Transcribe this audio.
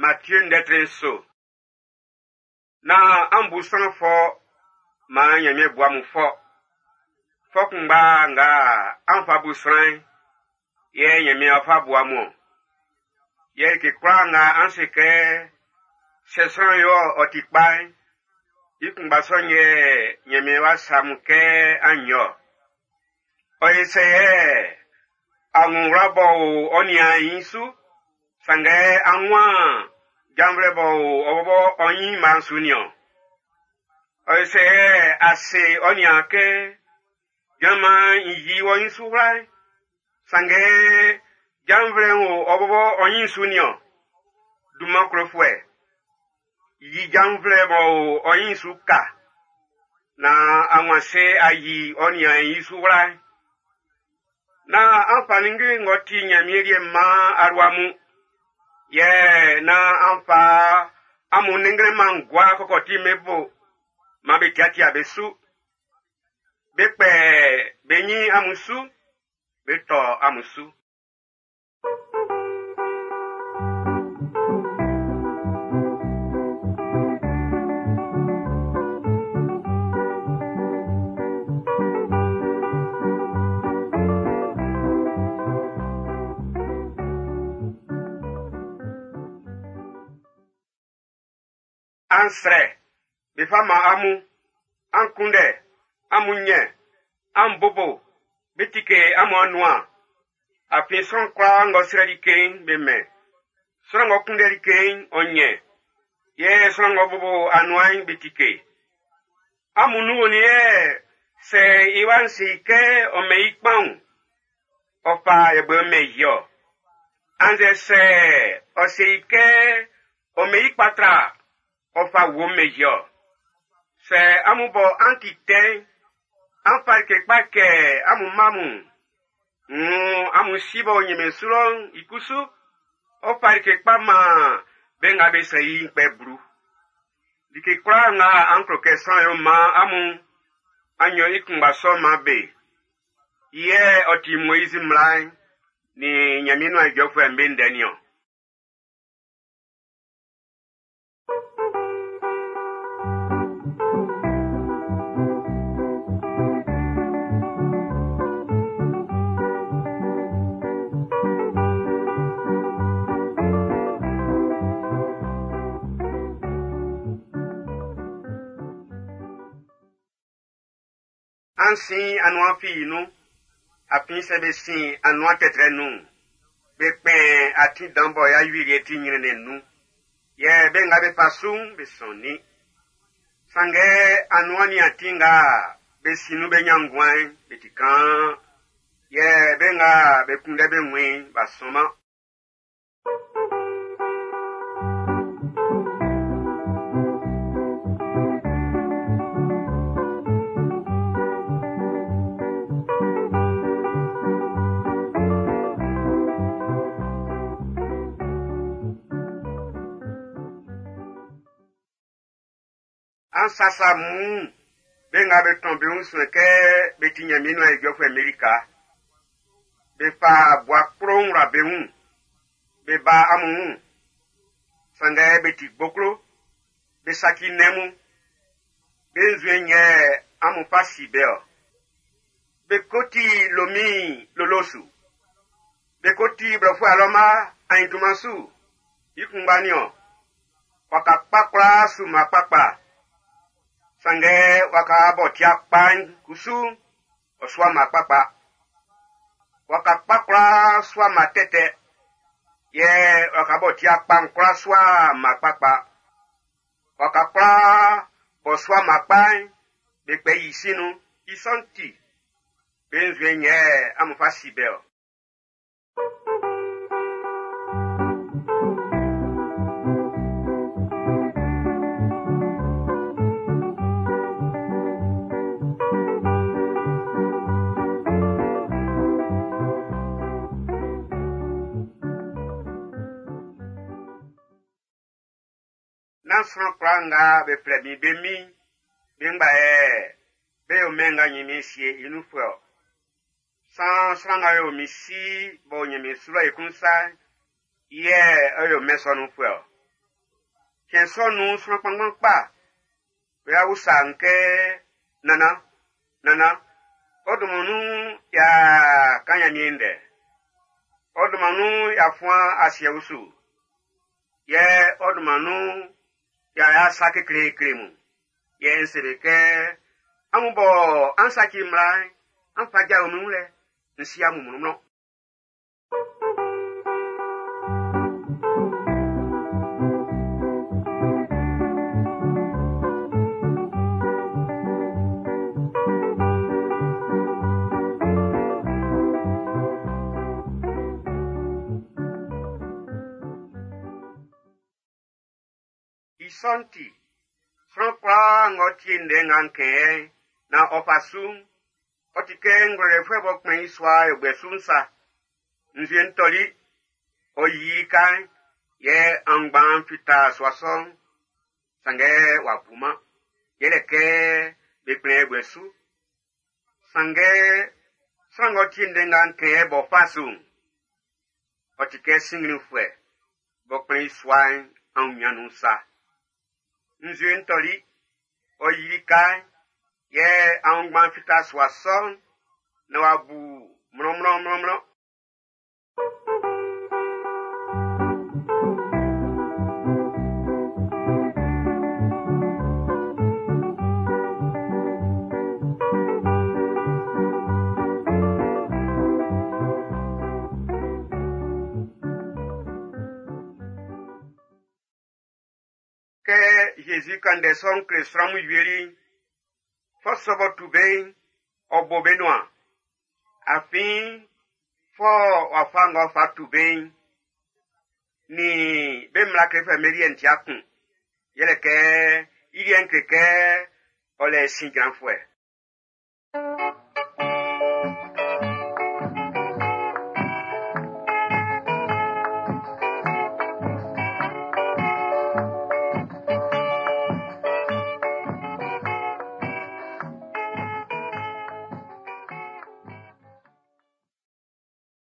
Matthieu ndɛ tre nso. Nán an bu sran fɔ maan Ɲanmiɛn bu amun fɔ. Fɔ kunngba nga an fa bu sran'n, yɛ Ɲanmiɛn ɔ́ fá bu amun ɔn. Yɛ like kwlaa nga an se kɛ sɛ sran yo ɔ ti kpa'n, i kunngba sɔ'n yɛ Ɲanmiɛn wá sa amun kɛ an yo. Ɔ ye sɛ yɛ amun wla b'ɔ o ɔ niaan'n i su, sanngɛ an waan janvlɛ b'ɔ o ɔ bɔbɔ ɔ ɲinma'n su niɔn. Ɔ ye sɛ yɛ a se ɔ niaan kɛ jran maan n yi wɔ nyin su wla'n, sanngɛ janvlɛ'n o ɔ bɔbɔ ɔ nyin su niɔn. Dunman klofuɛ, yi janvlɛ b'ɔ o ɔ nyin su ka, naan a wun ase a yi ɔ niaan'n i su wla'n. Nán an fa ninnge ng'ɔ ti Ɲanmiɛn liɛ'n man alua mun. Yɛ nán an fa amun nɛnnglɛnman'n gua kɔkɔti'm be bo, man be tiatia be su. Be kpɛ be ɲin amun su, be tɔ amun su. An srɛ, be fa man amun. An kunndɛ, amun ɲɛn. An bobo, be tike amun anuan. Afin sran kwlaa ng'ɔ srɛ like'n, be mɛn. Sran ng'ɔ kunndɛ like'n, ɔ ɲɛn. Yɛ sran ng'ɔ bobo anuan'n, be tike. Amun nun onin yɛ sɛ i wa'n se i kɛ ɔ mɛn i kpanwun, ɔ fa yɛbuɛ mɛn i ɔ? Annzɛ sɛ ɔ se i kɛ ɔ mɛn i kpatra, ɔ fa wuo mɛn i ɔ? Sɛ amun bɔ an ti tɛ'n, an fa like kpa kɛ amun mma mun'n, wuun amun si b'ɔ o Ɲanmiɛn su lɔ'n i kusu, ɔ fa like kpa man be nga be srɛ i'n kpɛ blu. Like kwlaa nga an klo kɛ sran yo man amun'n, an yo i kunngba sɔ'n man be. I yɛ ɔ ti Moizi mmla'n nin Ɲanmiɛn nuan ijɔfuɛ'm be ndɛ niɔn. An sin anuan fii nun, afin sɛ be sin anuan tɛtrɛ nun'n, be kpɛn atin dan bɔ i awieliɛ ti nyrɛnnɛn nun, yɛ be nga be fa su'n be sɔnnin. Sanngɛ anuan nin atin nga be sin nun be ɲan nguan'n, be ti kaan, yɛ be nga be kunndɛ be wun i'n, b'a sɔnman. An sasa amun wun be nga be tɔn be wun suɛn kɛ be ti Ɲanmiɛn nuan ijɔfuɛ'n be lika. Be fa bua kplo'n wla be wun, be ba amun wun. Sanngɛ be ti gboklo, be saci nnɛn mun. Be nzuɛn'n yɛ amun fa si be-ɔ. Be ko ti lomin lolo su. Be ko ti blɔfuɛ alɔma aɲintuman su. I kunngba niɔn. Waka kpa kwlaa su mma kpakpa. Sanngɛ waka b'ɔ ti'a kpa'n kusu, ɔ sua mma kpakpa. Waka kpa kwlaa sua mma tɛtɛ, yɛ waka b'ɔ ti'a kpa'n kwlaa sua mma kpakpa. Waka kwlaa b'ɔ sua mma kpa'n, be kpɛ i sin nun. I sɔ'n ti, be nzuɛn'n yɛ amun fa si be-ɔ. Nán sran kwlaa nga be flɛ min be min'n, be ngba yɛ be yo mɛn nga Ɲanmiɛn sie i nunfuɛ-ɔ. Saan sran nga yo min Si b'ɔ o Ɲanmiɛn su lɔ'n i klun sa'n, i yɛ ɔ yo mɛn sɔ nunfuɛ-ɔ. Cɛn sɔ'n nun'n, sran kpanngban kpa be wa usa n kɛ, Nannan, nannan, ɔ dunman nun y'a kan Nyanmiɛn ndɛ. Ɔ dunman nun y'a fuan asiɛ usu. Yɛ ɔ dunman nun y'a yo sa kekleekle mun. Yɛ n se be kɛ, amun bɔ an saci mmla'n, an fa jao min wun lɛ, n si amun mlɔnmlɔn. I sɔ'n ti, sran kwlaa ng'ɔ tie ndɛ nga n kɛn yɛ'n, nan ɔ fa su'n, ɔ ti kɛ ngwlɛlɛfuɛ b'ɔ kplɛn i sua yɛbuɛ su'n sa. Nzue'n tɔli, ɔ yili lika'n, yɛ aunngban'n fita sua sɔ'n, sanngɛ w'a bu-man, yɛlɛ kɛ be kplɛn yɛbuɛ su. Sanngɛ sran ng'ɔ tie ndɛ nga n kɛn yɛ b'ɔ fa su'n, ɔ ti kɛ sinnglinfuɛ b'ɔ kplɛn i sua'n aunɲan nun sa. Nzue'n tɔli, ɔ yili lika'n, yɛ aunngban'n fita sua sɔ'n, nan w'a bu mlɔnmlɔnmlɔnmlɔn. Kɛ Zezi kan ndɛ sɔ'n kle sran mun wieli'n, fɔ sɔ b'ɔ tu be'n, ɔ bo be nuan. Afin fɔ wafa ng'ɔ fa tu be'n, nin be mmla klefuɛ'm be liɛ'n ti'a kun. Yɛlɛ kɛ i liɛ'n kle kɛ ɔ lɛ sin jranfuɛ.